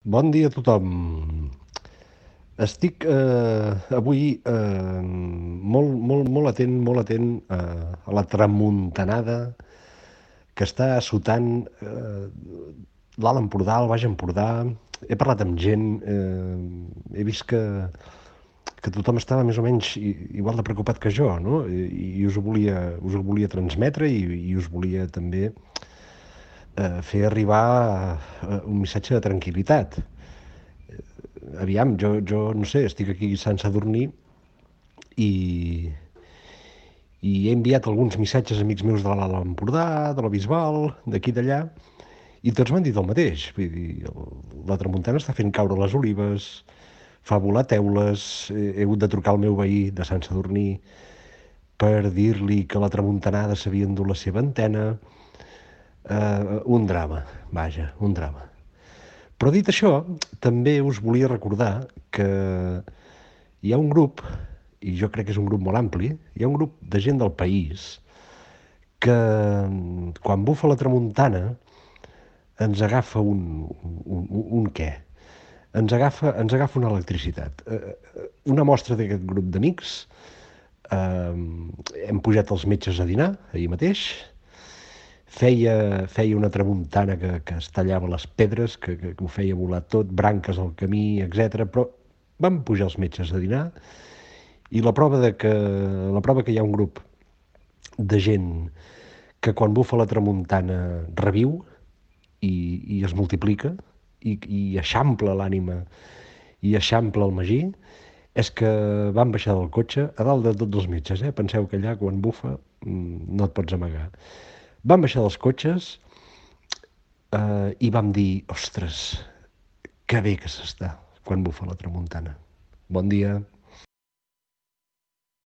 Bon dia a tothom. Estic avui molt atent a la tramuntanada que està assotant l'Alt Empordà, el Baix Empordà. He parlat amb gent, he vist que tothom estava més o menys igual de preocupat que jo, no? I us ho volia transmetre i us volia també fer arribar un missatge de tranquil·litat. Aviam, jo no sé, estic aquí a Sant Sadurní i, i he enviat alguns missatges a amics meus de l'Alt Empordà, de la Bisbal, d'aquí d'allà, i tots m'han dit el mateix. Vull dir, la tramuntana està fent caure les olives, fa volar teules, he hagut de trucar al meu veí de Sant Sadurní per dir-li que la tramuntanada s'havia endut la seva antena. Un drama, vaja, un drama. Però dit això, també us volia recordar que hi ha un grup, i jo crec que és un grup molt ampli, hi ha un grup de gent del país que quan bufa la tramuntana ens agafa un què? Ens agafa una electricitat. Una mostra d'aquest grup d'amics, hem pujat els metges a dinar ahir mateix, feia una tramuntana que es tallava les pedres, que ho feia volar tot, branques al camí, etc. Però van pujar els metges a dinar i la prova que hi ha un grup de gent que quan bufa la tramuntana reviu i es multiplica i eixampla l'ànima i eixampla el magí, és que van baixar del cotxe a dalt de tots els metges. Penseu que allà quan bufa no et pots amagar. Vam baixar dels cotxes i vam dir, ostres, que bé que s'està quan bufa la tramuntana. Bon dia.